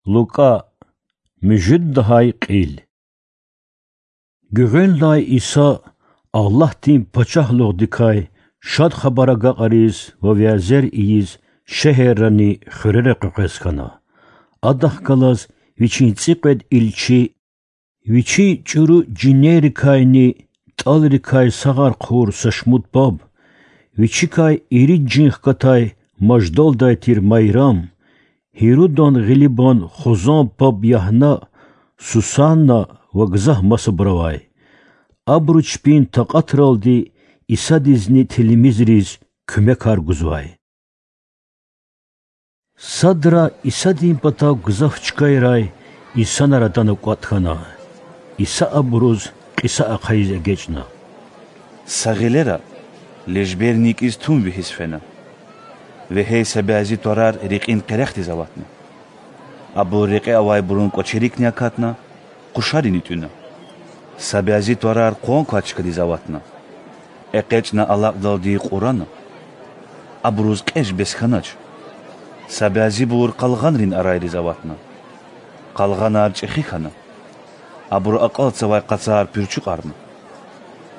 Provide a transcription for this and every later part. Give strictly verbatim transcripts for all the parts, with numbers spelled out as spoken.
Лукӏа. Муьжуьд лагьай кьил. Гуьгъуьнлай Иса Аллагьдин пачагьлугъдикай Шад Хабар агакьариз ва вязер ийиз шегьеррани хуьрера къекъвез хьана. Адахъ галаз Вичин цӏикьвед илчи, Вичин чӏуру жинеррикайни тӏалрикай сагъар хъувур са шумуд паб, Вичикай ирид жин хкатай маждалдай тир Майрам, Гьирудан гъилибан хузан паб Ягьна, Сусанна ва гзаф масабур авай. Абуру чпин такьатралди Исадизни тилмизриз куьмекар гузвай. Садра Исадин патав гзаф чкайрай инсанар атана кӏватӏ хьана. Иса абуруз кьиса ахъайиз эгечӏна: Са гъилера лежбер никӏиз тум вегьиз фена. Вегьей са бязи тварар рекьин къерехдиз аватна. Абур рекье авайбурун кӏвачерикни акатна, къушарини тӏуьна. Са бязи тварар къван квай чкадиз аватна. ЭкъечӀна алакьдалди кьурана. Абуруз кьеж бес хьанач. Са бязибур къалгъанрин арайриз аватна. Къалгъанар чӀехи хьана. Абуру акьалтзавай къацар пуьрчуькьарна.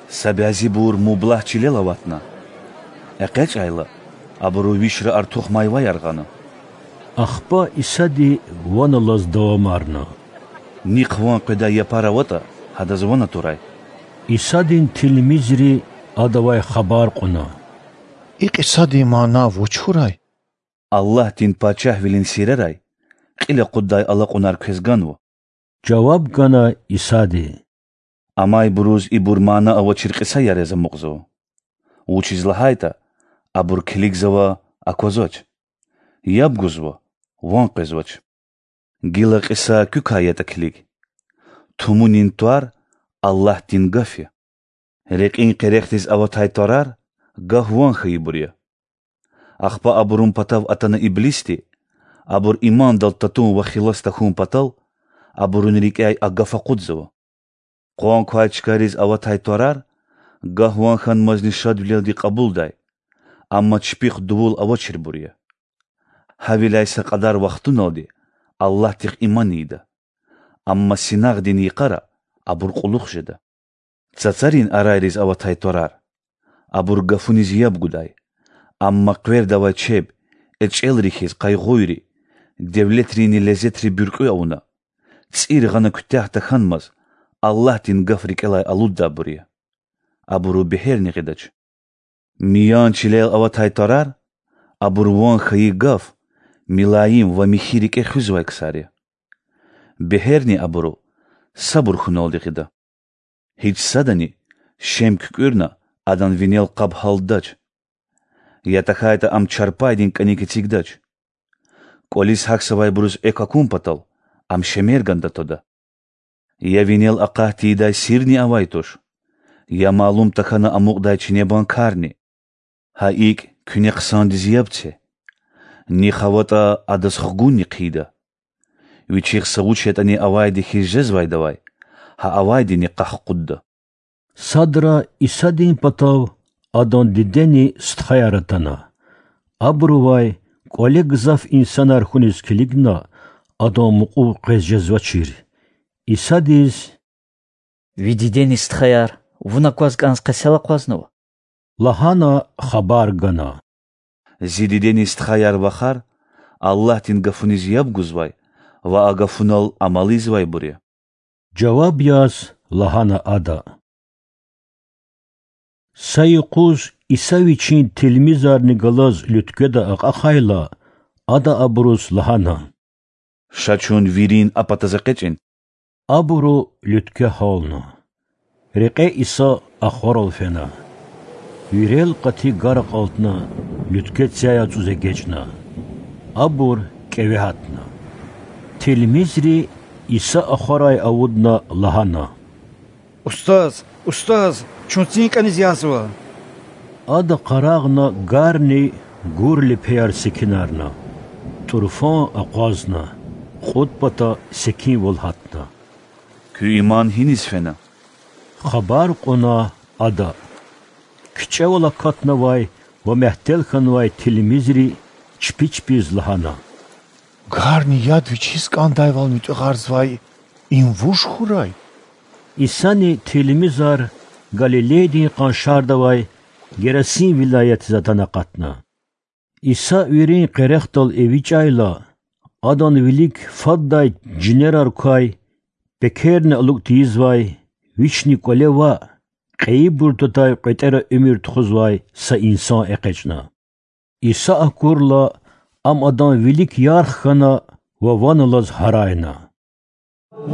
Са бязибур мублагь чилел аватна. ЭкъечӀайла, абуру вишра артух майваяр гъана. Ахпа Исади ван алаз давамарна: Нихъ ван къведай япар аватӀа, гьадаз ван атурай. Исадин тилмизри Адавай хабар кьуна: И кьисадин мана вуч хьурай? Аллагьдин Пачагьвилин сирерай кьил акъуддай алакьунар квез ганва,— жаваб гана Исади. Амайбуруз ибур мана авачир кьисаяр яз амукьзава, вучиз лагьайтӀа абур килигзава— аквазвач, яб гузва— ван къвезвач. Гила кьиса куькай ятӀа килиг: Тумунин твар Аллагьдин Гаф я. Рекьин къерехдиз аватай тварар гаф-ван хьайибур я. Ахпа абурун патав атана иблисди, абур имандал татун ва хилас тахьун патал, абурун рикӀяй а гаф акъудзава. Къван квай чкайриз аватай тварар гаф-ван хьанмазни шадвилелди кьабулдай, амма чпихъ дувул авачирбур я. Гьавиляй са кьадар вахтуналди Аллагьдихъ иман ийида, амма синагъдин йикъара абур кьулухъ жеда. Цацарин арайриз аватай тварар— абур гафуниз яб гудай, амма къвердавай чеб, эчӀелри хьиз къайгъуйри, девлетрини лезетри буьркьуь авуна, цӀир гъана куьтягь тахьанмаз, Аллагьдин Гаф рикӀелай алуддайбур я. Абуру бегьерни гъидач. Миян чилел аватай тварар— абур ван хьайи гаф, милаим ва михьи рикӀе хуьзвай ксар я. Бегьерни абуру сабур хьуналди гъида. Гьич садани, шем куькӀуьрна, адан винел къаб гьалдач, я тахьайтӀа ам чарпайдин кӀаник эцигдач. КӀвализ гьахьзавайбуруз экв акун патал, ам шемерганда твада. Я винел акъат тийидай сирни авай туш, я малум тахьана амукьдай чинебан карни. Гьа икӀ, куьне хъсандиз яб це: нихъ аватӀа, адаз хгунни хъийида. Вичихъ са вуч ятӀани авайди хьиз жезвайдавай гьа авайдини къахкъудда. Садра Исадин патав Адан дидени стхаяр атана. Абурувай кӀвале гзаф инсанар хьуниз килигна, Адан мукьув къвез жезвачир. Исадиз: Ви дидени стхаяр Вун акваз кӀанз къе сел акъвазнава? лагьана хабар гана. Зи дидени стхаяр-вахар Аллагьдин Гафуниз яб гузвай ва а Гафунал амал ийизвайбур я,— жаваб яз лагьана ада. Са юкъуз Иса Вичин тилмизарни галаз луьткведа акьахайла, Ада абуруз лагьана: Ша чун вирин а патаз экъечӀин. Абуру луьткве гьална. Рекье Иса ахварал фена. Вирел къати гар акьалтна, луьткве цяй ацӀуз эгечӀна. Абур кӀеве гьатна. Тилмизри, Иса ахварай авудна, лагьана: Устаз, устаз, чун цин кӀаниз язва! Ада къарагъна гарни гур лепеяр секинарна. ТӀурфан акъвазна, кьуд пата секинвал гьатна. Куь иман гьиниз фена? хабар кьуна Ада. КичӀевал акатнавай ва мягьтел хьанвай тилмизри чпи чпиз лагьана: Карни яд Вичиз кӀандайвал муьтӀуьгъарзавай им вуж хьурай? Исани тилмизар Галилейдин къаншарда авай Герасим вилаятдиз атана акъатна. Иса вирин къерехдал эвичӀайла, Адан вилик фаддай жинерар квай, пекерни алукӀ тийизвай, Вични кӀвале ваъ, кьейибурун твадай кьветӀера уьмуьр тухузвай са инсан экъечӀна. Иса акурла, Ам Адан вилик ярх хьана ва ван алаз гьарайна: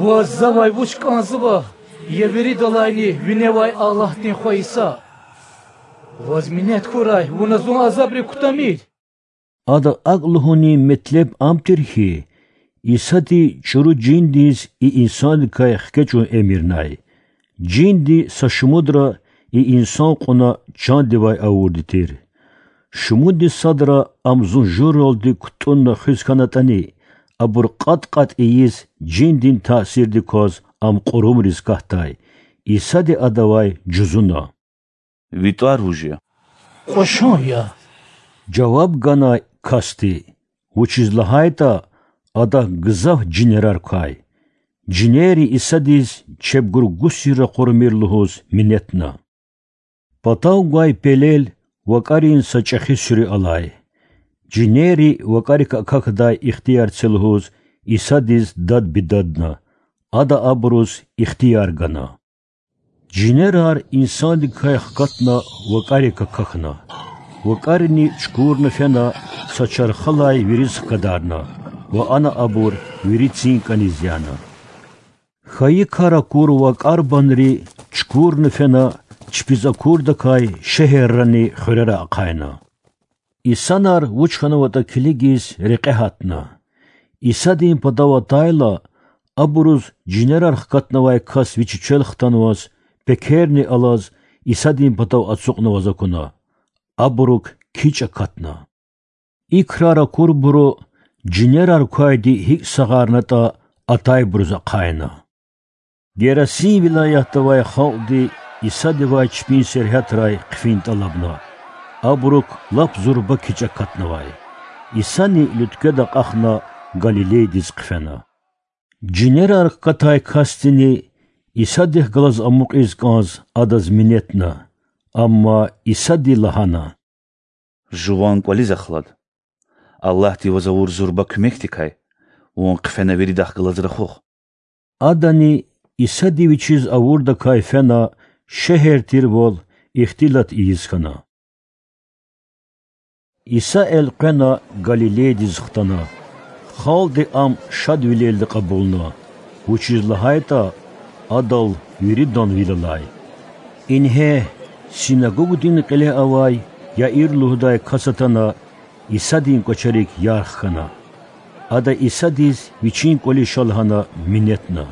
Ваз завай вуч кӀанзава, я виридалайни виневай Аллагьдин Хва Иса? Ваз минет хьурай, Вуна зун азабрик кутамир. Ада акӀ лугьунин метлеб ам тир хьи, Исади чӀуру жиндиз и инсандикай хкечӀун эмирнай. Жинди са шумудра и инсан кьуна чандивай авурди тир. Шумудни садра ам зун журалди кутӀунна хуьз хьанатӀани, абур кьатӀ-кьатӀ ийиз, жиндин таъсирдик кваз ам кьурумриз катдай. Исади адавай жузуна: Ви тӀвар вуж я? Кьвашун я,— жаваб гана касди, вучиз лагьайтӀа адахъ гзаф жинерар квай. Жинерри Исадиз чебгур гусир ракъурмир лугьуз минетна. Патав гвай пелел вакӀарин са чӀехи суьруь алай. Жинерри вакӀарик акахьдай ихтияр це лугьуз Исадиз дад-бедадна. Ада абуруз ихтияр гана. Жинерар инсандикай хкатна вакӀарик акахьна. ВакӀарни чукурна фена, са чархалай вириз хкадарна ва ана абур вири цин кӀаниз яна. Хьайи кар акур вакӀарбанри чукурна фена, чпиз акурдакай шегьеррани хуьрера ахъайна. Инсанар вуч хьанватӀа килигиз рекье гьатна. Исадин патав атайла, абуруз жинерар хкатнавай кас Вичи чвел хтанваз, пекерни алаз, Исадин патав ацукьнаваз акуна. Абурук кичӀ акатна. И крар акурбуру жинерар квайди гьикӀ сагъарнатӀа атайбуруз ахъайна. Герасим вилаятда авай халкьди Исадивай чпин сергьятрай хъфин тӀалабна. Абурук лап зурба кичӀ акатнавай. Исани луьткведа акьахна Галилейдиз хъфена. Жинерар хкатай касдини Исадихъ галаз амукьиз кӀанз Адаз минетна, амма Исади лагьана: Жуван кӀвализ ахлад. Аллагьди ваз авур зурба куьмекдикай вун хъфена виридахъ галаз рахух. Адани, Исади вичиз авурдакай фена, шегьер тирвал ихтилат ийиз хьана. Иса элкъвена Галилейдиз хтана. Халкьди Ам шадвилелди кьабулна, вучиз лагьайтӀа Адал виридан вил алай. Ингье, синагогдин кьиле авай Яир лугьудай кас атана, Исадин кӀвачерик ярх хьана. Ада Исадиз вичин кӀвализ ша лагьана минетна.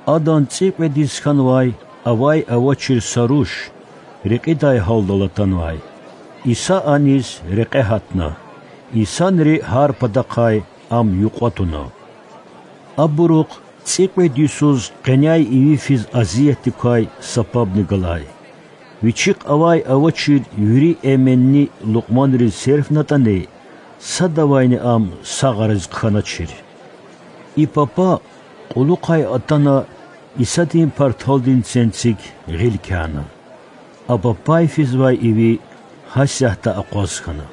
Адан цӀикьведиз хьанвай авай-авачир са руш, рекьидай гьалдал атанвай. Иса аниз рекье гьатна. Инсанри гьар патахъай Ам юкьва туна. Абурухъ цӀикьвед йисуз къеняй иви физ азиятдик квай са пабни галай. Вичихъ авай-авачир вири эменни лукьманриз серфнатӀани, садавайни ам сагъариз хъхьаначир. И папа кьулухъай атана, Исадин парталдин ценцик гъил кяна. А папай физвай иви гьасятда акъваз хьана.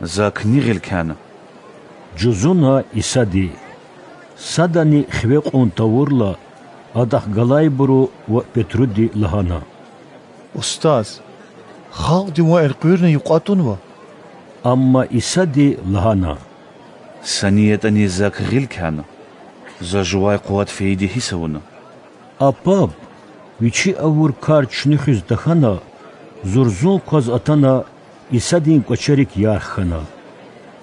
Зак ни гъил кяна? жузуна Исади. Садани хиве кьун тавурла, Адахъ галайбуру ва Петруди лагьана: Устаз, халкьди Вун элкъуьрна юкьва тунва. Амма Исади лагьана: Са ни ятӀани зак гъил кяна, За жувай къуват фейиди гьисс авуна. А паб, вичи авур кар чуьнуьхиз тахьана, зурзун кваз атана, Исадин кӀвачерик ярх хьана.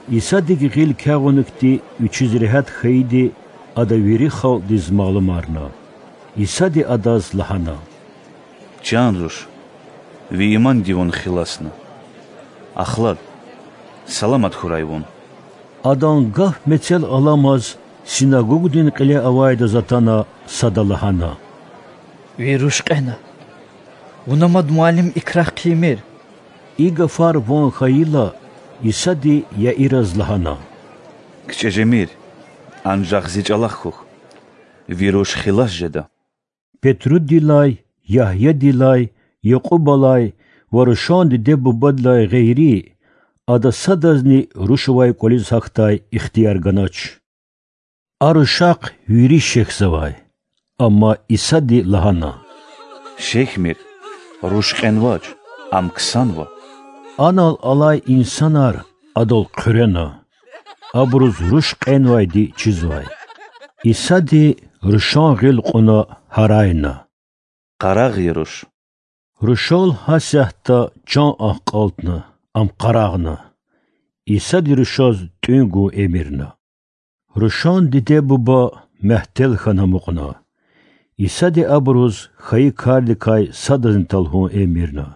Исадик гъил кягъунихъди вичиз регьят хьайиди Ада вири халкьдиз малумарна. Исади адаз лагьана: Чан руш, ви иманди вун хиласна. Ахлад, саламат хьурай вун. Адан гаф мецел аламаз синагогдин кьиле авайдаз атана, сада лагьана: Ви руш кьена. Вуна мад, Муаллим, и крар хъийимир. И гафар ван хьайила, Исади Яираз лагьана: КичӀе жемир, анжах зи чӀалахъ хьухь, ви руш хилас жеда. Петрудилай, Ягьядилай, Якьубалай ва рушан диде-бубадилай гъейри, ада садазни руш авай кӀвализ гьахьдай ихтияр ганач. А рушахъ вири шехьзавай. Амма Исади лагьана: Шехьмир, руш кьенвач, ам ксанва. Анал алай инсанар адал хъуьрена. Абуруз руш кьенвайди чизвай. Исади рушан гъил кьуна гьарайна: Къарагъ я руш! Рушал гьасятда чан акьалтна, ам къарагъна. Исади рушаз тӀуьн гун эмирна. Рушан диде-буба мягьтел хьана амукьна. Исади абуруз хьайи кардикай садазни талгьун эмирна.